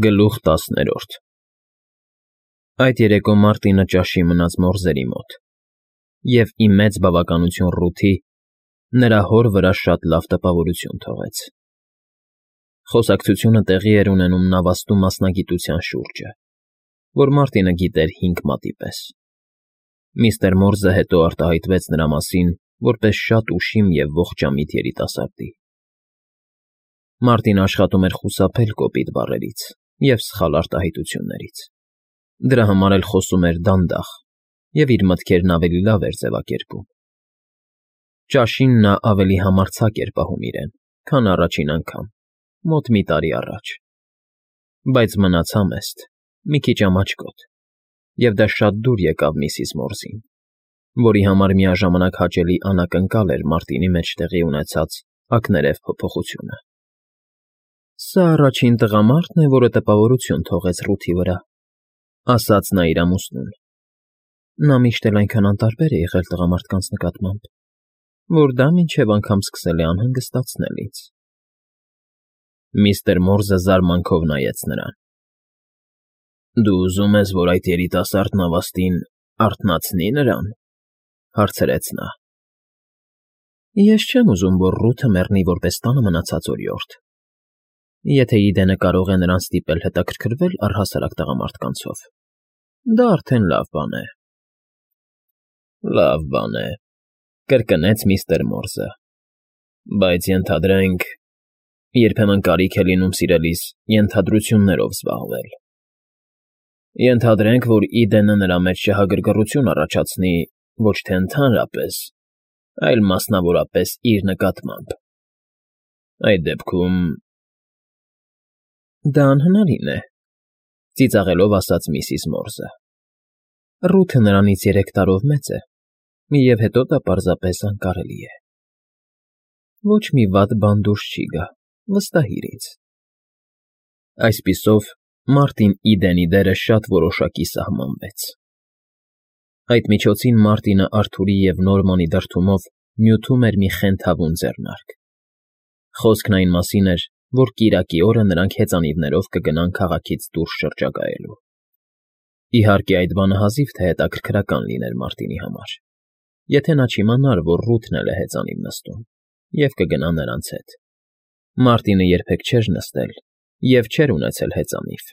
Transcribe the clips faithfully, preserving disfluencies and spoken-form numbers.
Գլուխ տասներորդ Այդ երեկո Մարտինը ճաշի մնաց մորզերի մոտ և, ի մեծ բավականություն Ռութի, նրա հոր վրա շատ լավ տպավորություն թողեց. խոսակցությունը տեղի էր ունենում նավաստու մասնագիտության շուրջը, որ Մարտինը գիտեր հինգ մատի պես. միստր Մորզը հետո արտահայտվեց նրա մասին որպես շատ ուշիմ և ողջամիտ երիտասարդի. Մարտինը աշխատում էր խուսափել կոպիտ բառերից և սխալ արտահայտություններից, դրա համար էլ խոսում էր դանդաղ և իր մտքերն ավելի լավ էր ձևակերպում. Ճաշին նա ավելի համարձակ էր պահում իրեն, քան առաջին անգամ, մոտ մի տարի առաջ, բայց մնաց համեստ, մի քիչ ամաչկոտ, և դա շատ դուր եկավ միսիս Մորզին, որի համար միաժամանակ հաճելի անակնկալ էր Մարտինի մեջ տեղի ունեցած ակներև փոփոխությունը։ ֊ Սա առաջին տղամարդն է, որը տպավորություն թողեց Ռութի վրա,֊ ասաց նա իր ամուսնուն. նա միշտ էլ այնքան անտարբեր է եղել տղամարդկանց նկատմամբ, որ դա մինչև անգամ սկսել է անհանգստացնել ինձ։ Միստր Մորզը զարմանքով նայեց նրան։ ֊ Դու ուզում ես, որ այդ երիտասարդ նավաստին արթնացնի նրան,֊ հարցրեց նա։ ֊ Ես չեմ ուզում, որ Ռութը մեռնի որպես տանը մնացած օրիորդ, եթե Իդենը կարող է նրան ստիպել հետաքրքրվել առհասարակ տղամարդկանցով, դա արդեն լավ բան է։ ֊ Լավ բան է,֊ կրկնեց միստր Մորզը,֊ բայց ենթադրենք, երբեմն կարիք է լինում, սիրելիս, ենթադրություններով զբաղվել. ենթադրենք, որ Իդենը նրա մեջ շահագրգռություն առաջացնի ոչ թե ընդհանրապես, այլ մասնավորապես իր նկատմամբ. այդ դեպքում… ֊ Դա անհնարին է,֊ ծիծաղելով ասաց միսիս Մորզը,֊ Ռութը նրանից երեք տարով մեծ է, և հետո դա պարզապես անկարելի է։ Ոչ մի վատ բան դուրս չի գա, վստահիր ինձ։ Այսպիսով, Մարտին Իդենի դերը շատ որոշակի սահմանվեց։ Այդ միջոցին Մարտինը Արթուրի և Նորմանի դրդումով նյութում էր մի խենթավուն ձեռնարկ. խոսքն այն մասին էր, որ կիրակի օրը նրանք հեծանիվներով կգնան քաղաքից դուրս շրջագայելու։ Իհարկե, այդ բանը հազիվ թե հետաքրքրական լիներ Մարտինի համար, եթե նա չիմանար, որ Ռութն էլ է հեծանիվ նստում և կգնա նրանց հետ։ Մարտինը երբեք չէր նստել և չէր ունեցել հեծանիվ,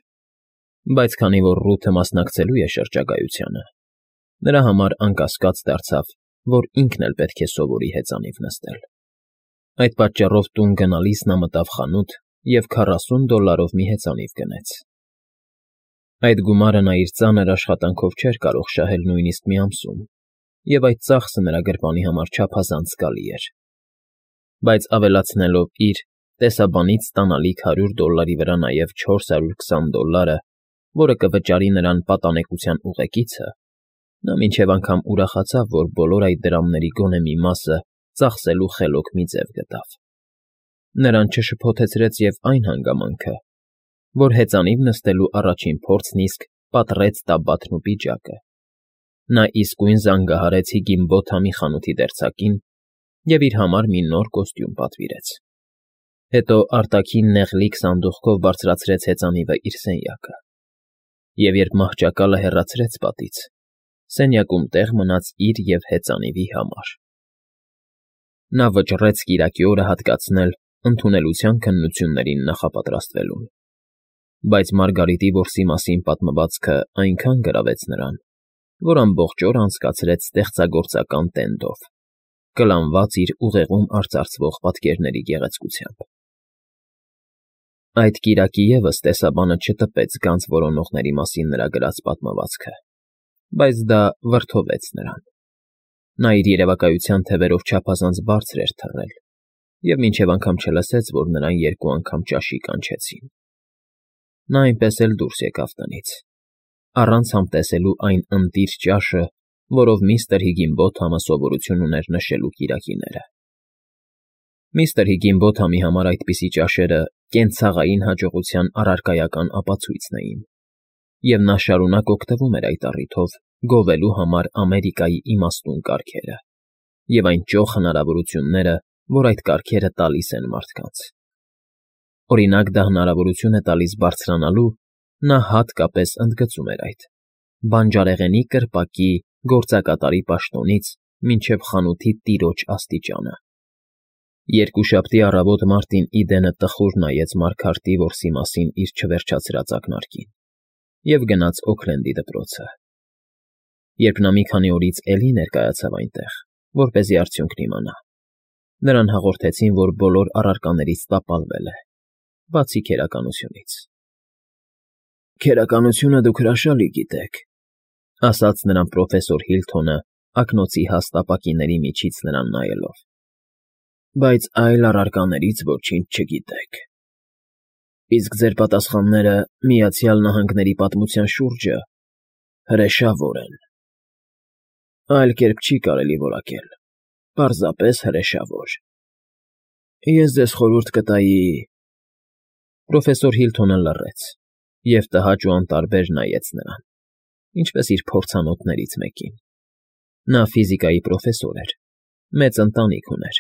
բայց քանի որ Ռութը մասնակցելու է շրջագայությանը, նրա համար անկասկած դարձավ, որ ինքն էլ պետք է սովորի հեծանիվ նստել։ Այդ պատճառով տուն գնալիս նա մտավ խանութ և քառասուն դոլարով մի հեծանիվ գնեց։ Այդ գումարը նա իր ծանր աշխատանքով չէր կարող շահել նույնիսկ մի ամսում, և այդ ծախսը նրա գրպանի համար չափազանց զգալի էր։ Բայց ավելացնելով իր տեսաբանից ստանալիք հարյուր դոլարի վրա նաև չորս հարյուր քսան դոլարը, որը կվճարի նրան պատանեկության ուղեկիցը, նա մինչև անգամ ուրախացավ, որ բոլոր այդ դրամների գոնե մի մասը ծախսելու խելոք մի ձև գտավ։ Նրան չշփոթեցրեց և այն հանգամանքը, որ հեծանիվ նստելու առաջին փորձն իսկ պատռեց տաբատն ու պիջակը։ Նա իսկույն զանգահարեց Հիգինբոթամի խանութի դերձակին և իր համար մի նոր կոստյում պատվիրեց։ Հետո արտաքին նեղլիկ սանդուղքով բարձրացրեց հեծանիվը իր սենյակը, և երբ մահճակալը հեռացրեց պատից, սենյակում տեղ մնաց իր և հեծանիվի համար։ Նա վճռեց կիրակի օրը հատկացնել ընդունելության քննություններին նախապատրաստվելուն, բայց Մարգարիտի որսի մասին պատմվածքը այնքան գրավեց նրան, որ ամբողջ օրը անցկացրեց ստեղծագործական տենդով, կլանված իր ուղեղում արծարծվող պատկերների գեղեցկությամբ։ Այդ կիրակի ևս տեսաբանը չտպեց գանձ որոնողների մասին նրա գրած պատմվածքը, բայց դա վրդովեց նրան։ Նա իր երևակայության թևերով չափազանց բարձր էր թռել և մինչև անգամ չլսեց, որ նրան երկու անգամ ճաշի կանչեցին։ Նա այնպես էլ դուրս եկավ տնից, առանց համտեսելու այն ընտիր ճաշը, որով միստր Հիգինբոթամը սովորություն ուներ նշելու կիրակիները։ Միստր Հիգինբոթամի համար այդպիսի ճաշերը կենցաղային հաջողության առարկայական ապացույցն էին, և նա շարունակ օգտվում էր այդ առիթով գովելու համար Ամերիկայի իմաստուն կարգերը և այն ճոխ հնարավորությունները, որ այդ կարգերը տալիս են մարդկանց։ Օրինակ, դա հնարավորություն է տալիս բարձրանալու (նա հատկապես ընդգծում էր այդ) բանջարեղենի կրպակի գործակատարի պաշտոնից մինչև խանութի տիրոջ աստիճանը։ Երկուշաբթի առավոտ Մարտին Իդենը տխուր նայեց Մարգարտի որսի մասին իր չվերջացրած ակնարկին և գնաց Օքլենդի դպրոցը։ Երբ նա մի քանի օրից էլի ներկայացավ այնտեղ, որպեսզի արդյունքն իմանա, նրան հաղորդեցին, որ բոլոր առարկաներից տապալվել է, բացի քերականությունից։ «Քերականությունը դուք հրաշալի գիտեք,֊ ասաց նրան պրոֆեսոր Հիլթոնը ակնոցի հաստ ապակիների միջից նրան նայելով,֊ բայց այլ առարկաներից ոչինչ չգիտեք։ Իսկ ձեր պատասխանները Միացյալ Նահանգների պատմության շուրջը հրեշավոր են։ Այլ կերպ չի կարելի որակել, պարզապես հրեշավոր։ Ես ձեզ խորհուրդ կտայի…» Պրոֆեսոր Հիլթոնը լռեց և տհաճ ու անտարբեր նայեց նրան, ինչպես իր փորձանոթներից մեկին։ Նա ֆիզիկայի պրոֆեսոր էր, մեծ ընտանիք ուներ,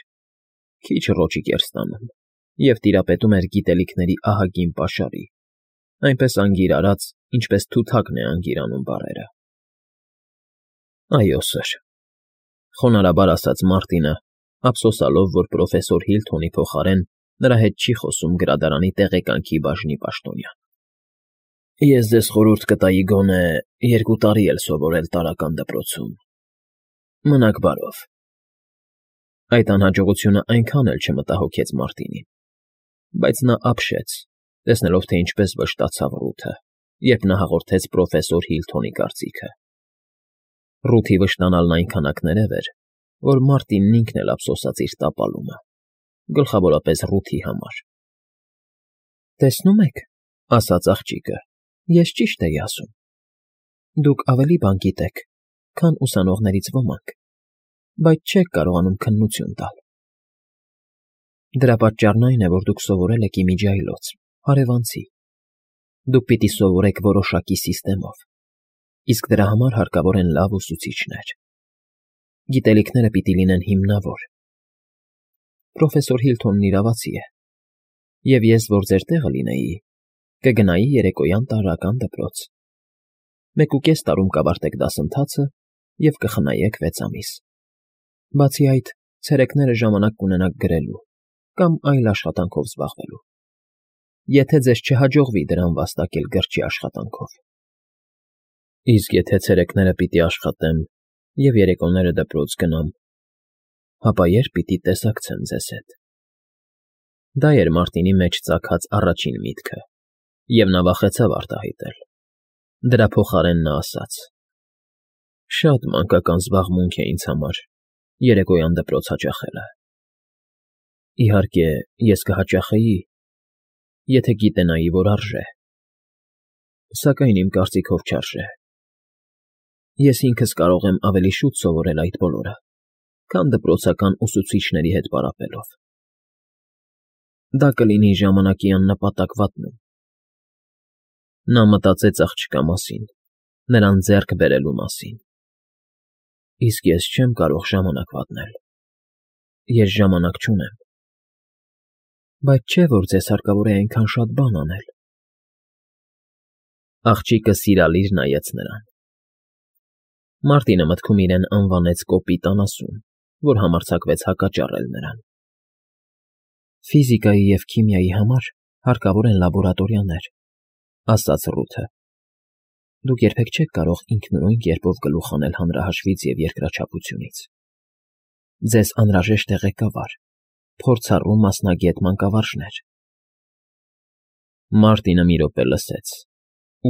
քիչ ռոճիկ էր ստանում և տիրապետում էր գիտելիքների ահագին պաշարի, այնպես անգիր արած, ինչպես թութակն է անգիր անում բառերը։ «Այո, սըր,֊ խոնարհաբար ասաց Մարտինը, ափսոսալով, որ պրոֆեսոր Հիլթոնի փոխարեն նրա հետ չի խոսում գրադարանի տեղեկանքի բաժնի պաշտոնյան։ Ես ձեզ խորհուրդ կտայի գոնե երկու տարի էլ սովորել տարրական դպրոցում։ Մնաք բարով»։ Այդ անհաջողությունը այնքան էլ չմտահոգեց Մարտինին, բայց նա ապշեց, տեսնելով, թե ինչպես վշտացավ Ռութը, երբ նա հաղորդեց պրոֆեսոր Հիլթոնի կարծիքը։ Ռութի վշտանալն այնքան ակներև էր, որ Մարտինն ինքն էլ ափսոսաց իր տապալումը, գլխավորապես Ռութի համար։ «Տեսնում եք,֊ ասաց աղջիկը,֊ ես ճիշտ էի ասում. դուք ավելի բան գիտեք, քան ուսանողներից ոմանք, բայց չեք կարողանում քննություն տալ։ Դրա պատճառն այն է, որ դուք սովորել եք իմիջիայլոց, հարևանցի։ Դուք պիտի սովորեք որոշակի սիստեմով, իսկ դրա համար հարկավոր են լավ ուսուցիչներ։ Գիտելիքները պիտի լինեն հիմնավոր։ Պրոֆեսոր Հիլթոնն իրավացի է, և ես, որ ձեր տեղը լինեի, կգնայի երեկոյան տարրական դպրոց։ Մեկ ու կես տարում կավարտեք դասընթացը և կխնայեք վեց ամիս։ Բացի այդ, ցերեկները ժամանակ կունենաք գրելու կամ այլ աշխատանքով զբաղվելու, եթե ձեզ չհաջողվի դրան վաստակել գրչի աշխատանքով։ Իսկ եթե ցերեկները պիտի աշխատեմ և երեկոները դպրոց գնամ, ապա ե՞րբ պիտի տեսակցեմ ձեզ հետ։ Դա էր Մարտինի մեջ ծագած առաջին միտքը, և նա վախեցավ արտահայտել։ Դրա փոխարեն նա ասաց. «Շատ մանկական զբաղմունք է ինձ համար երեկոյան դպրոց հաճախելը։ Իհարկե, ես կհաճախեի, եթե գիտենայի, որ արժե, սակայն իմ կարծիքով չարժե։ Ես ինքս կարող եմ ավելի շուտ սովորել այդ բոլորը, քան դպրոցական ուսուցիչների հետ պարապելով։ Դա կլինի ժամանակի աննպատակ վատնում»։ Նա մտածեց աղջկա մասին, նրան ձեռք բերելու մասին։ «Իսկ ես չեմ կարող ժամանակ վատնել, ես ժամանակ չունեմ։ Բայց չէ՞ որ ձեզ հարկավոր է այնքան շատ բան անել»։ Աղջիկը սիրալիր նայեց նրան։ Մարտինը մտքում իրեն անվանեց կոպիտ անասուն, որ համարձակվեց հակճառել նրան։ «Ֆիզիկայի և քիմիայի համար հարկավոր են լաբորատորիաներ,֊ ասաց Ռութը։ Դուք երբեք չեք կարող ինքնուրույն կերպով գլուխ հանել հանրահաշվից և երկրաչափությունից։ Ձեզ անհրաժեշտ է ղեկավար, փորձառու մասնագետ մանկավարժներ»։ Մարտինը մի րոպե լսեց,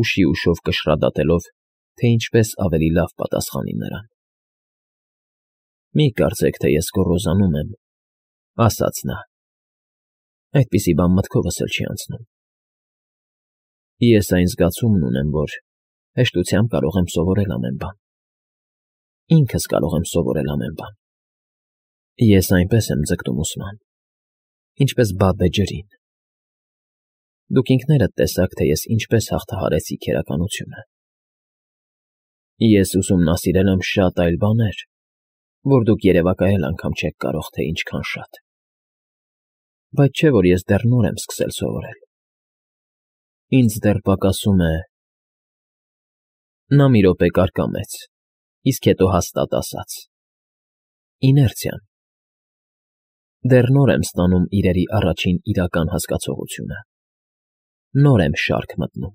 ուշի ուշով կշռադատելով, թե ինչպես ավելի լավ պատասխանի նրան։ «Մի կարծեք, թե ես գոռոզանում եմ,֊ ասաց նա։ Այդպիսի բան մտքովս էլ չի անցնում։ Ես այն զգացումն ունեմ, որ հեշտությամբ կարող եմ սովորել ամեն բան։ Ինքս կարող եմ սովորել ամեն բան։ Ես այնպես եմ ձգտում ուսման, ինչպես բաբը ջրին։ Դուք ինքներդ տեսաք, թե ես ինչպես հաղթահարեցի քերականությունը։ Ես ուսումնասիրել եմ շատ այլ բաներ, որ դուք երևակայել անգամ չեք կարող, թե ինչքան շատ։ Բայց չէ՞ որ ես դեռ նոր եմ սկսել սովորել։ Ինձ դեռ պակասում է… Նա մի րոպե կարկամեց, իսկ հետո հաստատ ասաց. իներցիան։ Դեռ նոր եմ ստանում իրերի առաջին իրական հասկացողությունը, նոր եմ շարք մտնում։